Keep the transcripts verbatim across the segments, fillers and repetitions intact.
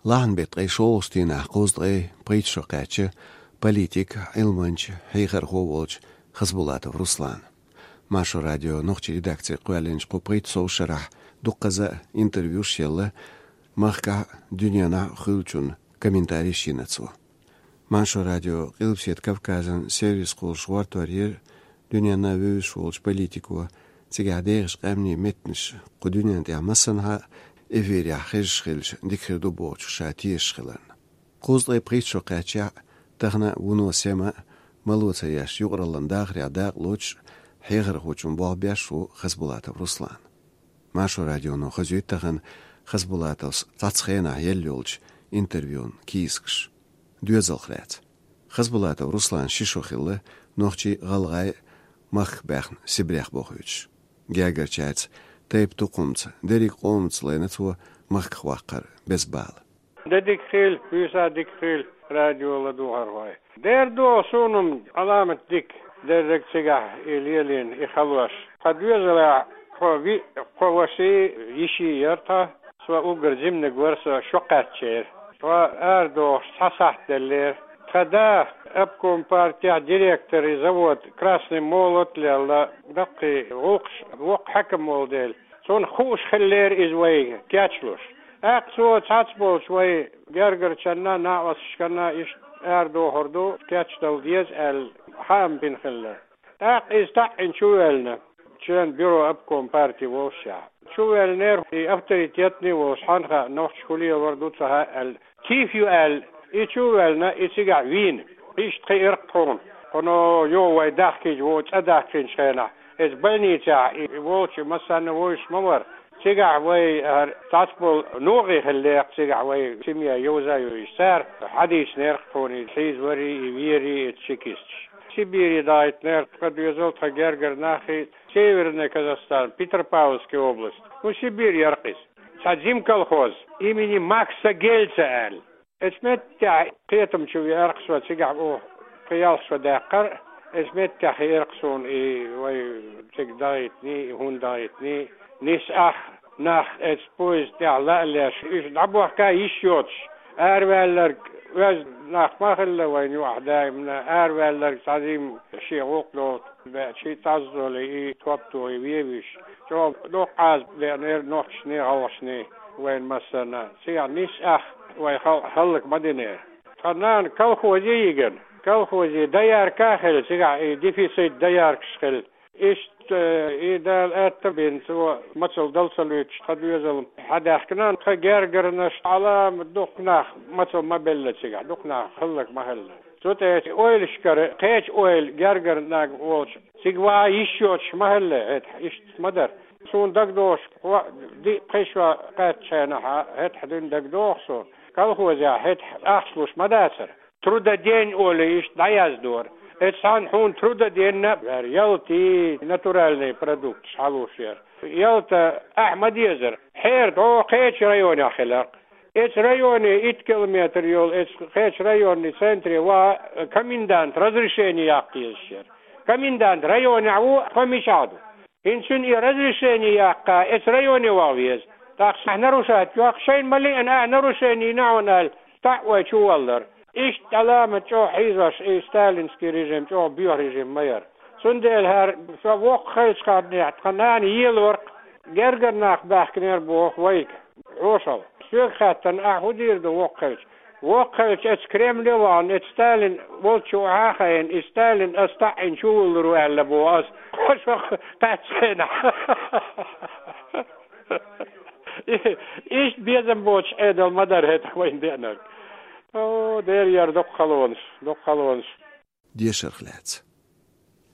Лахьан беттан ткъе шолгӀачу дийнахь кхузткъе пхийтта шо кхаьчна политик, Ӏилманча, хьехархо волчу Хасбулатов Руслана. Маршо радион нохчийн редакци кхоьллинчу кху пхийтта шарахь дуккхаза интервьюш елла, махкахь а, дуьненахь а хуьлучунна комментарийш йина цо. Маршо радион Къилбаседа Кавказан сервис кхуллуш гӀортор йира дуьненна вевзаш волчу политико, цигахь дехачу къаьмнийн меттанаш кху дуьнен тӀехь массанхьа а эфирехь хезаш хилча дика хир ду бохучух ша тешаш хиларна. Кхузткъе пхийтта шо кхаьчнехь а, тахана а вуно сема а, мало ца еш, юкъараллин дахарехь дакъа лоцуш а, хьехархочун болх беш ву Хасбулатов Руслан. Маршо радионо хазуьйту тахана Хасбулатовс цхьацца хенахь елла йолчу интервьюн кийсакаш. Доьзалх лаьцна. Хасбулатов Руслан ши шо хилла нохчий а, гӀалгӀай а махках баьхна Сибрех бохуьйтуш. Гергарчаьрца тайп-тукхамца, дерриг къомаца лайна цо махках ваккхар беза бала. Де дика хуьлда, вуьйса дика хуьлда, радио ладугӀурхой. Дера догӀу суна-м Ӏаламат дика, дерриг цигахь и лелийна, и халош. Тхан доьзалехь кхо виъ, кхо ваший, йиший яра тхан, со уггар жиманиг вара, со шо кхаьчнера. Тхо арадохуш цхьа сахьт деллера. Тхан да обком партехь директор и завод «Красный молот» лелла, даккхий гӀуллакхаш, воккха хьаькам волу дела. Цунна хууш хиллера иза вайга кечлуш. ТӀаккха цо цхьацца болчу вай гергарчарна, накъосташкарна иштта арадохур ду, кечдала деза аьлла, хаам бина хилла. ТӀаккха иза таӀийна чувоьллина, член бюро обком партии волушехь. Чувоьллинера и авторитетный волуш, хьанна хаьа, нохчаша хӀун лелор ду ца хаьа аьлла. Тиф ю аьлла, и чувоьллина, и цигахь вийна. Иштта хиира тхуна. Кхуьно йо вай дахкийча, вон цӀа дахкийначу хенахь, иза больницехь и волчу массарна вовзаш ма вара. Цигахь вай хӀара цхьацца болу нохий хилла декъа, цигахь вай семья йовза а йовзуш. Цара хьадийцинера тхуна, и хьийзаварий, и верий, и чекисташ. Сибире дахийтинера тхан доьзал, тхан гергара нахий, Северный Казахстан, Петропавловская область. Ну, Сибирь яра иза. Цхьа жима колхоз, имени Макса Гельца аьлла. Оцу меттехь кхетам чу веара-кх со, цигахь оха кхин ялх шо даьккхира. Оцу меттехь хиира-кх суна и вай цига дахийтиний, и хӀунда дахийтиний. Нисса ах нах оцу поезда тӀехь лаа а леш, уьш дӀабохка йиш йоцуш, араваьлларг, оьзда нах ма хилла вайна юкъахь даимна, араваьлларг цхьа жимма шен гӀуллакх долу баьччи, тӀаззолий, и топ тохий вевзаш. ЧӀогӀа доккха Ӏазап деанера нохчашний, гӀалгӀашний вайна массарна. Цигахь нисса ах вай халкъ хӀаллак ма динера. Тхан нана колхозе йигина, колхозе доярка а хилла, цигахь и дефицит дояркаш хилла. Иштта, э, и Дала аьтта а бина, цо мацалла дала ца луьйтуш, тхан доьзал хьадаьхкина, тхан гергарнаш Ӏаламат дукха нах мацалла ма белла цигахь, дукха нах хӀаллак ма хилла. Цу тӀе оцу ойлашкара кхечу ойла гергара наг волчу, цига ваха йиш йоцуш ма хилла, хӀета иштта ма дара. Суна дагадогӀуш, кхо-, диъ-пхи шо кхаьччу хенахь, хӀетахь дуьйна дагадогӀу суна. Колхозехь хӀетахь ахча луш ма дацара. Трудодень олий иштта дӀаяздора. Оцу цхьана хьуна трудодень а яра, ялтий, натуральный продукташ хьалуш яра. Ялта ахь ма дезара. Хьера дӀо кхечу районехь хиларх. Эцу районе итт километр йолу, эцу кхечу районный центре ван комендант разрешение яккха езаш яра. Комендант районехь ву, тхо мичахь ду? ХӀинца цуьнан и разрешение яккха, эцу районе ван веза. ТӀаккха ахь нарушать йоккху, шайна ма лиъна ахь нарушение йина хьуна аьлла, таӀ вай чу валлара. Иштта Ӏаламат чӀогӀа хьийзош, и сталинский режим чӀогӀа боьха режим ма яра. Цундела хӀара со воккха хилчу ханнехь тхан нана елорх, гергара нах баьхкинера боху вайга. Хьошалла. Соьга хаьттина, ахь хӀун дийр ду воккха хилча? Воккха хилча, эцу Кремле вахана, эцу Сталин волчу охьа а хайна, и Сталин ас таӀийна чувуллур ву аьлла боху ас. Кхо шо кхаьччу хенахь. И-, иштта безам боцуш Ӏедал ма дара хӀетахь вайна деанарг. О, дера яра дукха халонаш, дукха халонаш. Дешарх лаьцна.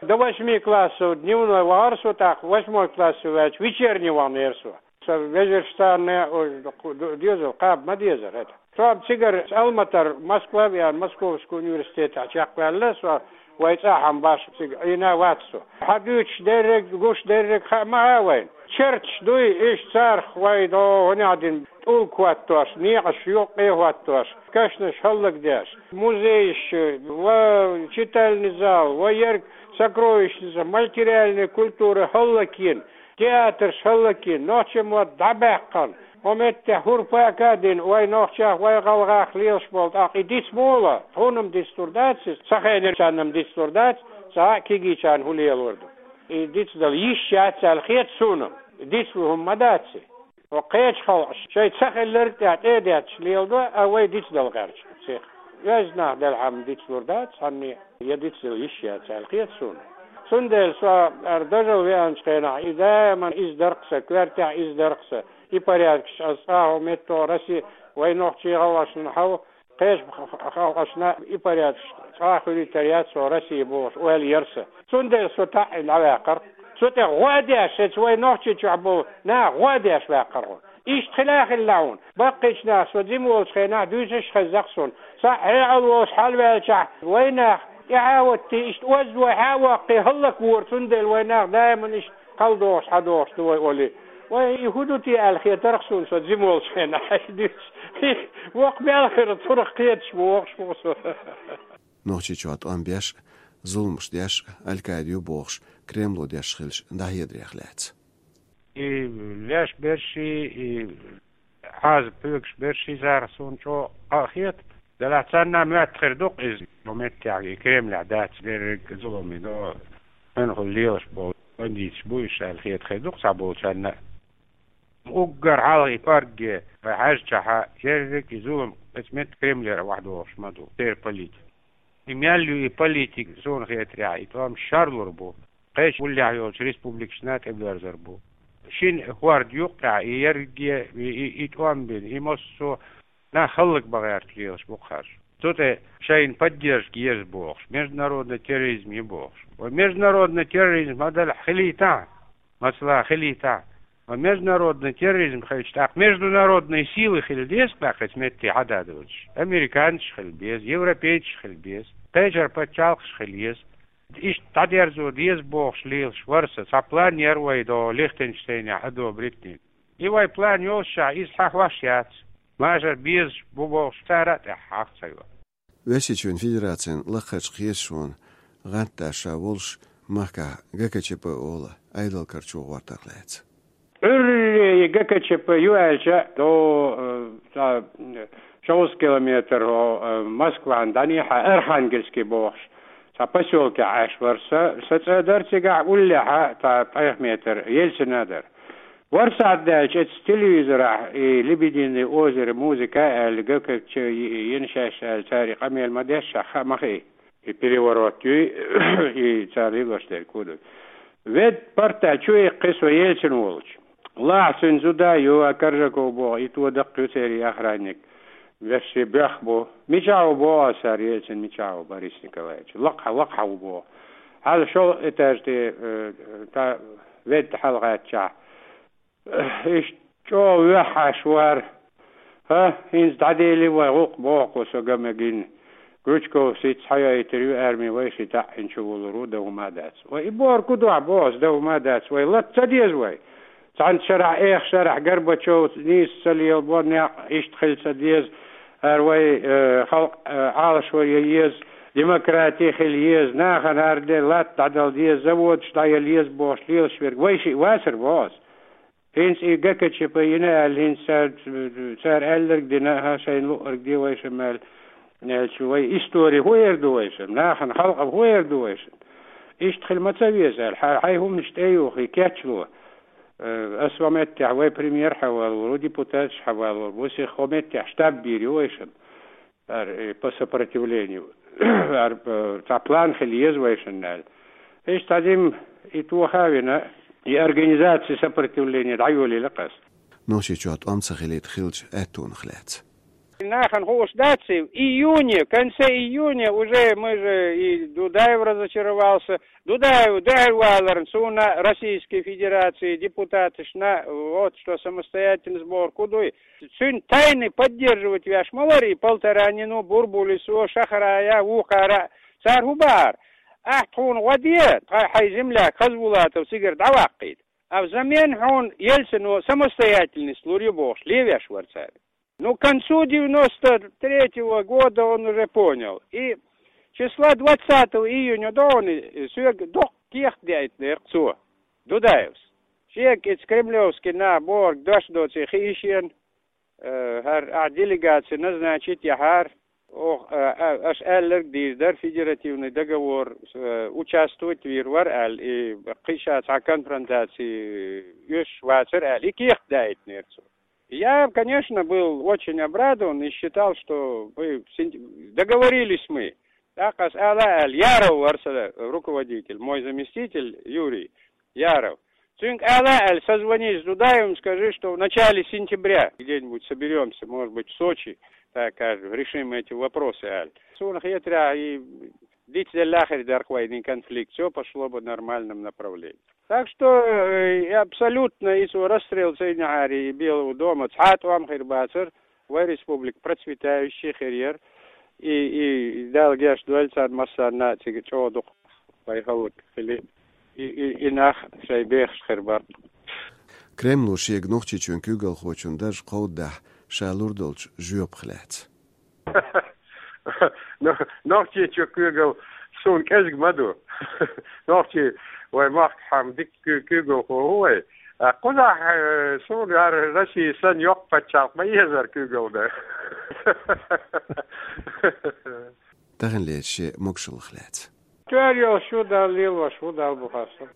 До восьми классов дневной вахара со, тӀаккха восьмой классе ваьлча вечерний ваханера со. Сан вежаршна, ой, ду-, ду-, доьзал кхаба ма дезара хӀета. Со цигара Алматара Москва веана, Московский университетехь чекхваьлла со, вай цӀахь а башха цига Ӏийна вац со. Хьан дуьйцуш дерриг, гуш дерриг хаа ма хаьа вайна. Черташ дуй, иштта царах вай дӀо хӀунехь дина, тӀулг хӀоттош, некъаш юккъе хӀоттош, кешнаш хӀаллакдеш, музейш, ва читальный зал, ва ерг сокровищница, материальная культура хӀаллакйина, театрш хӀаллакйина, нохчийн мотт дӀабаьккхина, Хьо меттехь хӀурпа а дина, вай нохчех, вай гӀалгӀах лелаш болу тӀаккха и диц муха ло? Хьуна-м дицлур дац иза, ца хенарчарна-м дицлур дац, цхьа а кегийчарна хӀун лелор ду? И дицдала йиш яц аьлла хета суна-м. Дицлур хӀума ма дац и. Хьо кхечу халкъаш шайн ца хилларг тӀехь тӀе а детташ леладо, а вай дицдала гӀерташ цех. Оьзда нах делхьама дицлур дац цхьанне, я дицдала йиш яц аьлла хета суна. Цундела со ара дажал веанчу хенахь, и даиман иза дарх сан, коьртехь иза дарх сан, и порядкаш аса цкъа а хӀу метто Россия, вай нохчий гӀалгӀашна хьал, кхечу халкъашна и порядкаш цкъа а хуьлуьйтар яц со Россия бохуш, ойла яр сан. Цундела со таӀийна дӀаваьккхар. Цу тӀе гӀо а деш, эца вай нохчий чохь болу нах гӀо а деш ваьккхар хьо. Иштта хила а хилла хьуна. Баккхийчу наха со жима волчу хенахь дуьйцуш а хезна-кх суна. Цхьаъ хьекъал волуш хьалаваьлчахь, вай нах тӀаьхьа а ваттий, иштта оззо хьа а воккхий, хӀаллаквора, цундела вай нах даиман иштта кхалдохуш, хьадохуш ду вай олий. Вай, и хӀун ду те аьлла хетарх суна со жима волчу хенахь, хьайша дуьйцуш. Воккха мел хир, цунах кхеташ бу вохуш ву со. Нохчийчохь тӀом беш а, зуламаш деш а Аль-Каида ю бохуш, Кремло деш хилча дӀахьедарех лаьцна. И леш берш, и Ӏазап хьоьгуш берш царах суна чӀогӀа къа а хета. Делахь царна моьтту хир ду-кх иза, хьо меттехь и Кремлехь дац дерриг а зулам, и до, хьуьнхула лелаш болу бандиташ бу уьш аьлла хета хир ду-кх цхьаболчарна а. Уггар хьалха и паргге вай хьаьжчахьа, ерриг а и зулам эца метта Кремлера охьадогӀуш ма ду, церан политика. И мел ю и политика, суна хетарехь, и тӀом шарлур бу. Кхечу уллехь йолчу республикашна а тӀебоьрзур бу. Шина хӀорда юккъехь и ерриге, и, и, и тӀом бина, и массо а нах хӀаллакбан гӀерта лелаш бу-кх хӀара. Цу тӀе шайна поддержка еза бохуш, международный терроризм ю бохуш. Вай международный терроризм ма-дарра хилийтахьа, масала, хилийтахьа. Вай международный терроризм хилча, тӀаккха международные силы хила деза, тӀаккха эца метте хьада доцуш. Американцаш хила беза, европейцаш хила беза, кхечара пачхьалкхаш хила еза. Иштта дӀадерзо деза бохуш лелаш вара сан, цхьа план яра вай до Лихтенштейнехь одобрить дина. И вай план йолушшехь, иза хьан хьош яц. Машар безаш бу бохуш, цара а тӀаьхьа хьаха ца йо. Оьрсийчоьнан Федерацин лакхарчу кхеташонан гӀантдаша волуш махкахь ГКЧП олу Ӏедалан карчо гӀортарх лаьцна. Ӏуьйре и ГКЧП ю аьлча, до, э, цхьа, э, шовзткъа километр, о, э, Москван дӀанехьа Архангельский бохуш, цхьа посёлкехь Ӏаш вара сан, сан цӀа дара цигахь, уллехьа цхьа ткъех метр Ельцина дара. Ворсат даьлча, эцу телевизорахь и «Лебединое озеро» музыка аьлла, ГКЧП йина шаьш аьлла, цара и къамел ма дешшехь, хаа ма хии. И переворот юй, и цара лелош дерг хӀун ду. Ведда парта чу иккхи со Ельцин волчу. Лахьа цуьнан зуда ю, а Коржаков боху, и то даккха ю церан охранник. Вешший боьх бу. Мичахь ву боху аса цара, Ельцин мичахь ву, Борис Николаевич? Лакхахь, лакхахь ву боху. Хьала шолгӀа этаж тӀе, э, та ведда хьалагӀаьттачахь. Иштта чӀогӀа вехьаш вара. ХӀа, хӀинца дӀадели вай гӀуллакх боху со ган мегина. Крючков сица хьайойтур ю арми, вайшиъ таӀийна чувуллур ву, дан хӀума а дац. Вай и бохург хӀун ду ахь боху ас, дан хӀума а дац. Вай латта ца деза вай. Цхьана шарахь, эха шарахь Горбачев нийса ца лелабо, некъ иштта хила ца деза. ХӀара вай, э, халкъ, э, Ӏалашвар ян еза, демократи хила еза, нахана хӀара де латта дӀадала деза, заводаш дӀаяла еза бохуш лелаш верг вайшиъ вацара боху ас. ХӀинца и ГКЧП йина аьлла, хӀинца цара, цара аьлларг дина, хӀа, шайна луъург де вайшимма аьлла, аьлча, вай истори хӀун эр ду вайшимма, нахана халкъам хӀун эр ду вайшимма? Иштта хила ма ца веза аьлла, хьай, хьайн хӀуманаш тӀе а юхий, кечло. Э, ас ван меттехь вай премьер хьавалор ву, депутаташ хьавалор ву, сих хӀо меттехь штаб бийр ю вайшимма. Ар, э, по сопротивлению. Ар, э, цхьа план хила еза вайшинна аьлла. Иштта дим и тоха а вина, и организация сопротивления дӀайолийла-кх ас. Нохчийчохь тӀом ца хилийта хиллачу аьттонах лаьцна. Нахана хууш дац и, в июне, в конце июня уже мы же, и Дудаев разочаровался. Дудаев дуьхьал валарна суна Российской Федерации депутаташна, вот что самостоятельность бохург хӀун дуй. Цуьнан тайны поддерживать веш ма вара и Полторанину, Бурбулисо, Шахрая, вукхара а. Цара хӀун бахара? Ахь тхуна гӀо де, тхо хьайн земляк Хазбулатов цигара дӀаваккхийта. А взамен хьуна Ельцино самостоятельность лур ю бохуш, левеш вара цара. Ну, к концу девяносто третьего года он уже понял. И числа двадцатого июня догӀуна соьга доккха кехат деийтинера цо, Дудаевс. Шега иза кремлевский нах бохург дош доций хи ишен, э, хӀара ахь делегаци назначить яхьара, оха, э, э, аша аьлларг дийр дара, федеративный договор, э, участвовать вийр вара аьлла, и кхин ша цхьа конфронтаци оьшуш вацара аьлла, и кехат даийтинера цо. Я, конечно, был очень обрадован и считал, что мы в сентя-, договорились мы. ТӀаккха аса ала аьлла, Яров вара сан руководитель, мой заместитель Юрий Яров. Цуьнга ала аьлла, созвонись с Дудаевым, скажи, что в начале сентября где-нибудь соберемся, может быть, в Сочи, так скажем, решим эти вопросы аьлла. Суна хетарехь, и дицделла хир дара вайна конфликт, всё пошло бы в нормальном направлении. Так что, э, и абсолютно и цо расстрел ца йинехьара и Белого дома цхьа а тӀом хир бацара, вай республика процветающая хир яра, и, и Дала гечдойла царна массарна а цига чӀогӀа дукха вай халкъ хили, и, и, и нах шайн бехаш хир бара. Кремло шега Нохчийчоьнан куьйгалхочун дарж кховдадахь, ша лур долчу жоьпах лаьцна. Но-, Нохчийчоь куьйгалла суна кӀезиг ма ду. Нохчий вай махкахь хьама дика куь-, куьйгалхо ву вай. А кхузахь, э, суна яра Россия санна йоккха пачхьалкх ма езара куьйгалла дан. Тахана лерча шен могушаллах лаьцна. Тоьар йолуш ю Далла, лелош ву Далла бу хастам.